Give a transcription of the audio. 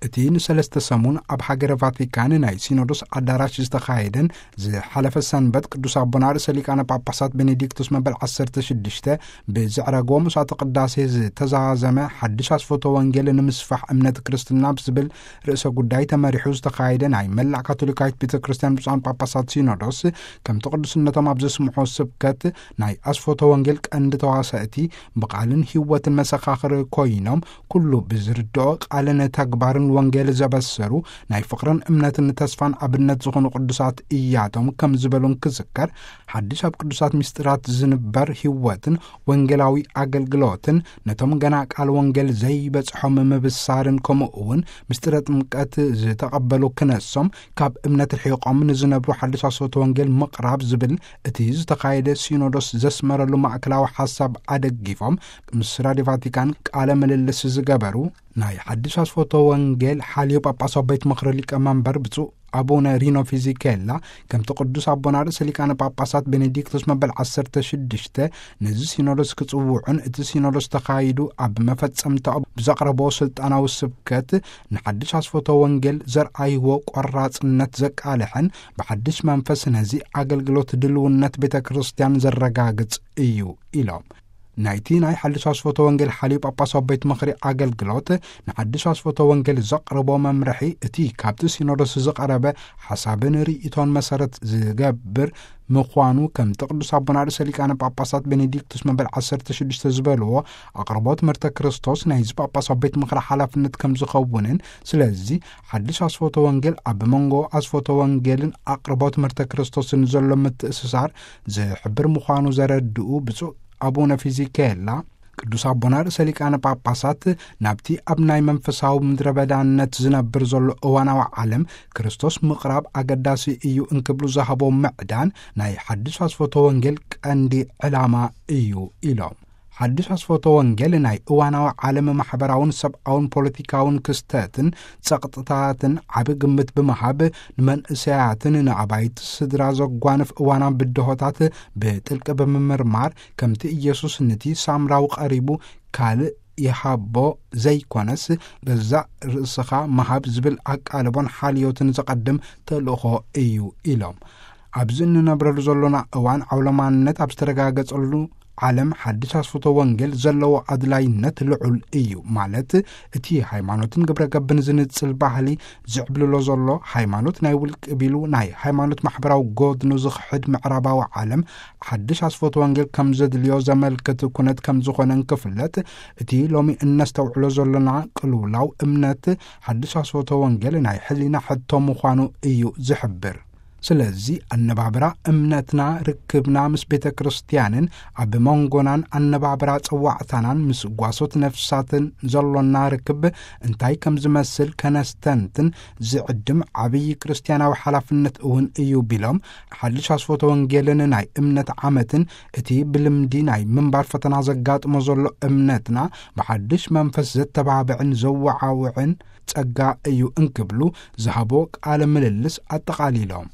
እቲ ንሰለስተ ሰሙን ኣብ ሃገረ ቫቲካን ናይ ሲኖዶስ ኣዳራሽ ዝተኻየደን ዝሓለፈ ሰንበት ቅዱስ ኣቦና ርእሰ ሊቃነ ጳጳሳት ቤኔዲክቱስ መበል ዓሰርተ ሽዱሽተ ብዘዕረጎ ምሥዋዕተ ቅዳሴ ዝተዛዘመ ሓድሽ ኣስፎተ ወንጌል ንምስፋሕ እምነት ክርስትና ብዝብል ርእሰ ጉዳይ ተመሪሑ ዝተኻየደ ናይ መላእ ካቶሊካዊት ቤተ ክርስቲያን ብፁዓን ጳጳሳት ሲኖዶስ ከምቲ ቅዱስነቶም ኣብ ዘስምዖ ስብከት ናይ ኣስፎተ ወንጌል ቀንዲ ተዋሳእቲ ብቓልን ህይወትን መሰኻኽር ኮይኖም ኩሉ ብዝርድኦ ቃልን ተግባርን ወንጌል ዘበሰሩ ናይ ፍቕርን እምነትን ተስፋን ኣብነት ዝኾኑ ቅዱሳት እያቶም ከም ዝበሉን ክዝከር ሓድሽ ኣብ ቅዱሳት ምስጢራት ዝንበር ህይወትን ወንጌላዊ ኣገልግሎትን ነቶም ገና ቃል ወንጌል ዘይበጽሖም ምብሳርን ከምኡ እውን ምስጢረ ጥምቀት ዝተቐበሉ ክነሶም ካብ እምነት ርሒቖም ንዝነብሩ ሓድሽ ኣስፎተ ወንጌል ምቕራብ ዝብል እቲ ዝተኻየደ ሲኖዶስ ዘስመረሉ ማእከላዊ ሓሳብ ኣደጊፎም ምስ ራድዮ ቫቲካን ቃለ ምልልስ ዝገበሩ ናይ ሓድሽ ኣስፎተ ወንጌል ሓልዮ ጳጳሳዊ ቤት ምኽሪ ሊቀመንበር ብፁዕ ኣቡነ ሪኖ ፊዚኬላ ከምቲ ቅዱስ ኣቦና ርእሰ ሊቃነ ጳጳሳት ቤኔዲክቶስ መበል ዓሰርተ ሽዱሽተ ነዚ ሲኖዶስ ክጽውዑን እቲ ሲኖዶስ ተኻይዱ ኣብ መፈጸምታኡ ብዘቕረቦ ስልጣናዊ ስብከት ንሓድሽ ኣስፎተ ወንጌል ዘርኣይዎ ቆራጽነት ዘቃልሐን ብሓድሽ መንፈስ ነዚ ኣገልግሎት ድልውነት ቤተ ክርስቲያን ዘረጋግጽ እዩ ኢሎም። ናይቲ ናይ ሓድሽ ኣስፎተ ወንጌል ሓልዮ ጳጳሳዊ ቤት ምኽሪ ኣገልግሎት ንሓድሽ ኣስፎተ ወንጌል ዘቕርቦ መምርሒ እቲ ካብቲ ሲኖዶስ ዝቐረበ ሓሳብን ርእይቶን መሰረት ዝገብር ምዃኑ ከምቲ ቅዱስ ኣቦና ርእሰ ሊቃነ ጳጳሳት ቤኔዲክቱስ መበል ዓሰርተ ሽዱሽተ ዝበልዎ ኣቕርቦ ትምህርተ ክርስቶስ ናይዚ ጳጳሳዊ ቤት ምኽሪ ሓላፍነት ከም ዝኸውንን ስለዚ ሓድሽ ኣስፎተ ወንጌል ኣብ መንጎ ኣስፎተ ወንጌልን ኣቕርቦ ትምህርተ ክርስቶስን ዘሎ ምትእስሳር ዝሕብር ምዃኑ ዘረድኡ ብፁዕ ኣቡነ ፊዚኬላ ቅዱስ ኣቦና ርእሰ ሊቃነ ጳጳሳት ናብቲ ኣብ ናይ መንፈሳዊ ምድረ በዳነት ዝነብር ዘሎ እዋናዊ ዓለም ክርስቶስ ምቕራብ ኣገዳሲ እዩ እንክብሉ ዝሃቦ ምዕዳን ናይ ሓድሽ ኣስፎተ ወንጌል ቀንዲ ዕላማ እዩ ኢሎም። ሓድሽ ኣስፎተ ወንጌል ናይ እዋናዊ ዓለም ማሕበራውን ሰብኣውን ፖለቲካውን ክስተትን ጸቕጥታትን ዓቢ ግምት ብምሃብ ንመንእሰያትን ንኣባይቲ ስድራ ዘጓንፍ እዋናዊ ብድሆታት ብጥልቂ ብምምርማር ከምቲ ኢየሱስ ንቲ ሳምራዊ ቀሪቡ ካልእ ይሃቦ ዘይኮነስ ገዛእ ርእስኻ ምሃብ ዝብል ኣቃልቦን ሓልዮትን ዘቐድም ተልእኾ እዩ ኢሎም። ኣብዚ እንነብረሉ ዘሎና እዋን ዓውለማንነት ኣብ ዝተረጋገጸሉ ዓለም ሓድሽ ኣስፍቶ ወንጌል ዘለዎ ኣድላይነት ልዑል እዩ። ማለት እቲ ሃይማኖትን ግብረ ገብን ዝንጽል ባህሊ ዝዕብልሎ ዘሎ ሃይማኖት ናይ ውልቂ ቢሉ ናይ ሃይማኖት ማሕበራዊ ጎድኑ ዝኽሕድ ምዕራባዊ ዓለም ሓድሽ ኣስፍቶ ወንጌል ከም ዘድልዮ ዘመልክት ኩነት ከም ዝኾነ እንክፍለጥ እቲ ሎሚ እነስተውዕሎ ዘሎና ቅልውላው እምነት ሓድሽ ኣስፍቶ ወንጌል ናይ ሕሊና ሕቶ ምዃኑ እዩ ዝሕብር። ስለዚ ኣነባብራ እምነትና ርክብና ምስ ቤተ ክርስቲያንን ኣብ መንጎናን ኣነባብራ ጸዋዕታናን ምስ ጓሶት ነፍሳትን ዘሎና ርክብ እንታይ ከም ዝመስል ከነስተንትን ዝዕድም ዓብዪ ክርስቲያናዊ ሓላፍነት እውን እዩ ቢሎም ሓድሽ ኣስፎተ ወንጌልን ናይ እምነት ዓመትን እቲ ብልምዲ ናይ ምንባር ፈተና ዘጋጥሞ ዘሎ እምነትና ብሓድሽ መንፈስ ዘተባብዕን ዘወዓውዕን ጸጋ እዩ እንክብሉ ዝሃቦ ቃለ ምልልስ ኣጠቓሊሎም።